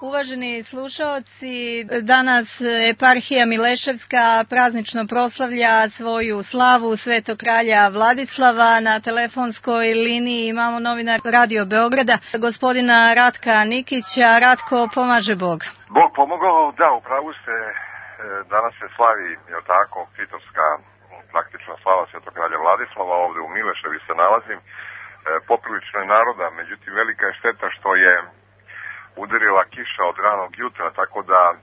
Uvaženi slušaoci, danas eparhija Mileševska praznično proslavlja svoju slavu Svetog kralja Vladislava. Na telefonskoj liniji imamo novinar Radio Beograda, gospodina Ratka Nikića. Ratko, pomaže Bog. Bog pomogao, da, upravo ste, danas se slavi, je tako, titovska praktična slava Svetog kralja Vladislava, ovde u Mileševi se nalazim. Poprilično je naroda, međutim velika je šteta što je udarila kiša od ranog jutra, tako da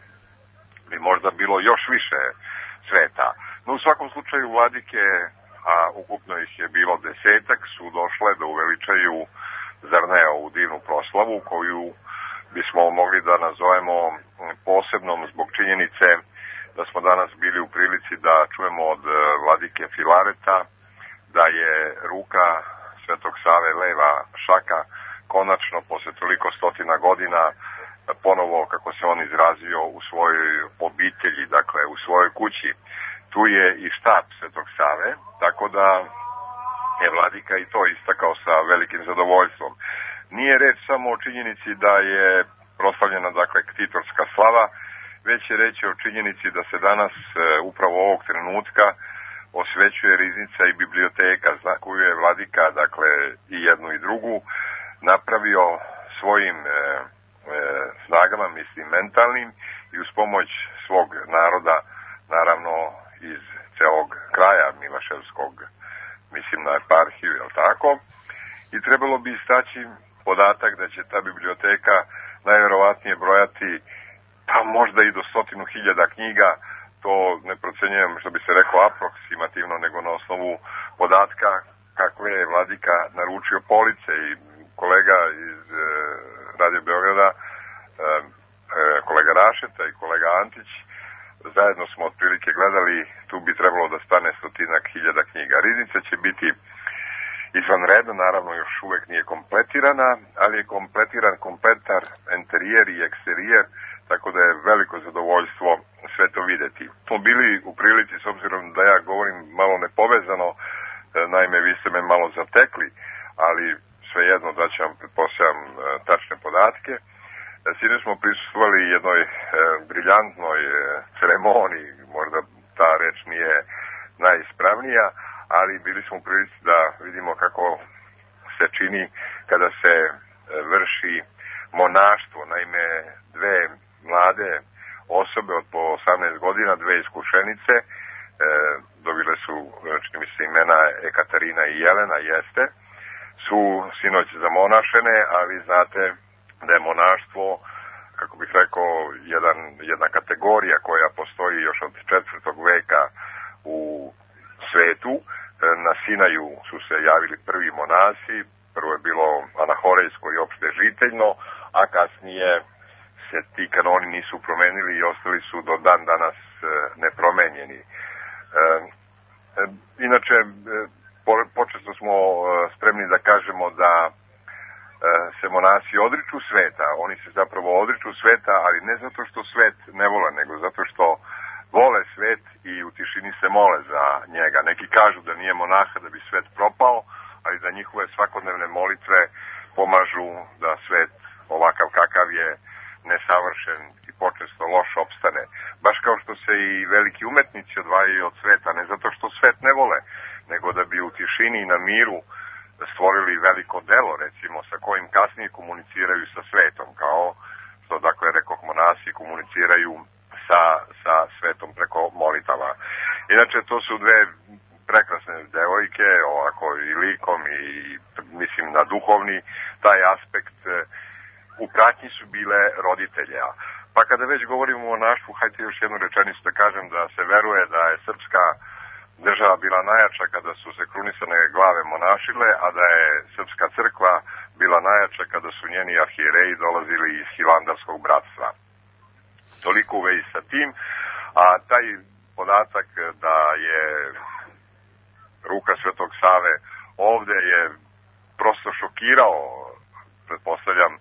bi možda bilo još više sveta. No u svakom slučaju vladike, a ukupno ih je bilo 10, su došle da uveličaju, zar ne, ovu divnu proslavu koju bismo mogli da nazovemo posebnom zbog činjenice da smo danas bili u prilici da čujemo od vladike Filareta da je ruka Svetog Save leva šaka konačno posle toliko stotina godina ponovo, kako se on izrazio, u svojoj obitelji, dakle u svojoj kući. Tu je i štab Svetog Save, tako da je vladika i to istakao sa velikim zadovoljstvom. Nije reč samo o činjenici da je proslavljena, dakle, ktitorska slava, već je reč o činjenici da se danas, upravo ovog trenutka, osvećuje riznica i biblioteka, koju je vladika, dakle, i jednu i drugu, napravio svojim snagama, mislim, mentalnim, i uz pomoć svog naroda, naravno, iz celog kraja Miloševskog, mislim na eparhiju, je li tako? I trebalo bi istaći podatak da će ta biblioteka najverovatnije brojati pa možda i do 100.000 knjiga. To ne procenjujem, što bi se rekao, aproksimativno, nego na osnovu podatka kakve je vladika naručio police. I kolega iz Radio Beograda, kolega Rašeta i kolega Antić, zajedno smo otprilike gledali, tu bi trebalo da stane 100.000 knjiga. Riznica će biti izvanredna, naravno još uvek nije kompletirana, ali je kompletiran kompletar interijer i eksterijer, tako da je veliko zadovoljstvo sve to videti. Smo bili u prilici, s obzirom da ja govorim malo nepovezano, naime vi ste me malo zatekli, ali svejedno da ću vam, pretpostavljam, tačne podatke. Sinoć smo prisustvovali jednoj briljantnoj ceremoniji, možda ta reč nije najispravnija, ali bili smo u prilici da vidimo kako se čini kada se vrši monaštvo. Naime, dve mlade osobe od po 18 godina, dve iskušenice, dobile su, čini mi se, imena Ekaterina i Jelena, jeste, su sinoć zamonašene, a vi znate da je monaštvo, kako bih rekao, jedna kategorija koja postoji još od 4. veka u svetu. Na Sinaju su se javili prvi monasi, prvo je bilo anahorejsko i opšte žiteljno, a kasnije se ti kanoni nisu promenili i ostali su do dan danas nepromenjeni. Inače, počesto smo spremni da kažemo da se monasi odriču sveta. Oni se zapravo odriču sveta, ali ne zato što svet ne vole, nego zato što vole svet i u tišini se mole za njega. Neki kažu da nije monaha da bi svet propao, ali da njihove svakodnevne molitve pomažu da svet ovakav kakav je nesavršen i počesto loš opstane. Baš kao što se i veliki umetnici odvajaju od sveta, ne zato što svet ne vole, nego da bi u tišini i na miru stvorili veliko delo, recimo, sa kojim kasnije komuniciraju sa svetom, kao što, dakle, rekoh, monasi komuniciraju sa svetom preko molitava. Inače, to su dve prekrasne devojke, ovako i likom i, mislim, na duhovni taj aspekt, u pratnji su bile roditelja. Pa kada već govorimo o monaštvu, hajde još jednu rečenicu da kažem da se veruje da je srpska država bila najjača kada su se krunisane glave monašile, a da je srpska crkva bila najjača kada su njeni arhijereji dolazili iz Hilandarskog bratstva. Toliko u vezi sa tim, a taj podatak da je ruka Svetog Save ovde je prosto šokirao, pretpostavljam,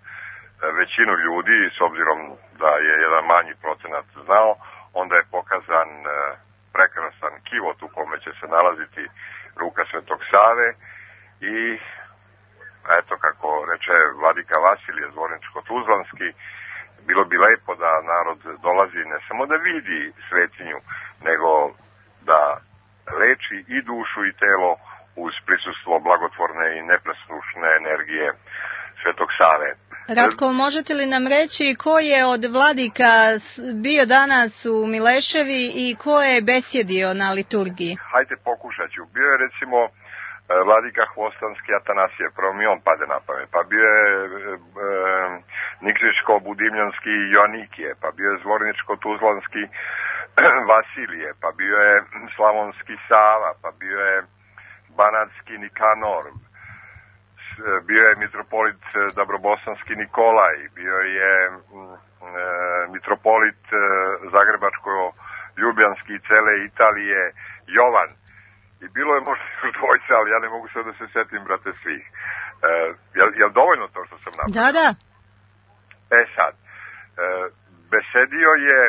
većinu ljudi, s obzirom da je jedan manji procenat znao, onda je pokazan prekrasan kivot u kome će se nalaziti ruka Svetog Save i eto, kako reče vladika Vasilije Zvorničko-Tuzlanski, bilo bi lepo da narod dolazi ne samo da vidi svetinju, nego da leči i dušu i telo uz prisustvo blagotvorne i nepresušne energije Svetog Save. Ratko, možete li nam reći ko je od vladika bio danas u Mileševi i ko je besjedio na liturgiji? Hajde, pokušat ću. Bio je recimo vladika Hvostanski Atanasije, prvo mi on pade na pamet, pa bio je Nikšićko-Budimljanski Joanikije, pa bio je Zvorničko-Tuzlanski Vasilije, pa bio je Slavonski Sava, pa bio je Banatski Nikanor, bio je mitropolit Dabrobosanski Nikolaj, bio je mitropolit Zagrebačko-Ljubljanski i cele Italije Jovan. I bilo je možda još dvojca, ali ja ne mogu sad da se setim, brate, svih. Je li dovoljno to što sam napravio? Da. Sad, besedio je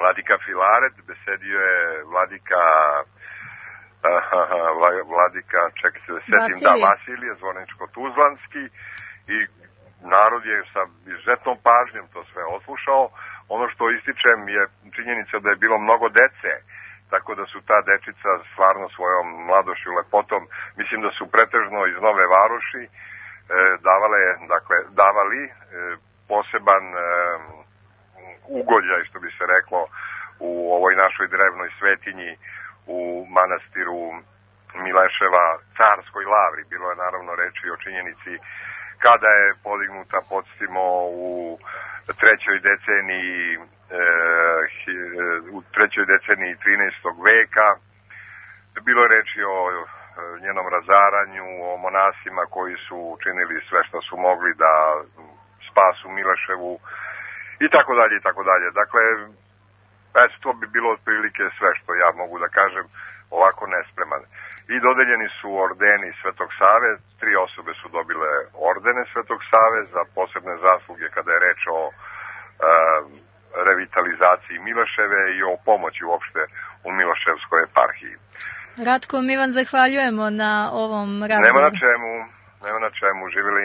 vladika Filaret, besedio je vladika, čekaj se da setim, Vasilije, Zvorničko-Tuzlanski, i narod je sa izuzetnom pažnjom to sve odslušao. Ono što ističem je činjenica da je bilo mnogo dece, tako da su ta dečica stvarno svojom mladošću, lepotom, mislim da su pretežno iz Nove Varoši davali poseban ugođaj, što bi se reklo, u ovoj našoj drevnoj svetinji u manastiru Mileševa, Carskoj lavri. Bilo je naravno reči o činjenici kada je podignuta, podsjetimo, u trećoj deceniji 13. veka. Bilo je reči o njenom razaranju, o monasima koji su učinili sve što su mogli da spasu Mileševu i tako dalje i tako dalje. Dakle, to bi bilo otprilike sve što ja mogu da kažem ovako nespreman. I dodeljeni su ordeni Svetog Save, 3 osobe su dobile ordene Svetog Save za posebne zasluge kada je reč o revitalizaciji Mileševe i o pomoći uopšte u Miloševskoj eparhiji. Ratko, mi vam zahvaljujemo na ovom razgovoru. Nema na čemu, živjeli.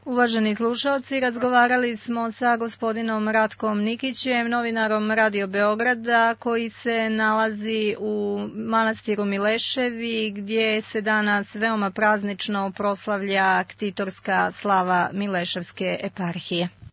Uvaženi slušalci, razgovarali smo sa gospodinom Ratkom Nikićem, novinarom Radio Beograda, koji se nalazi u manastiru Mileševi, gdje se danas veoma praznično proslavlja ktitorska slava Mileševske eparhije.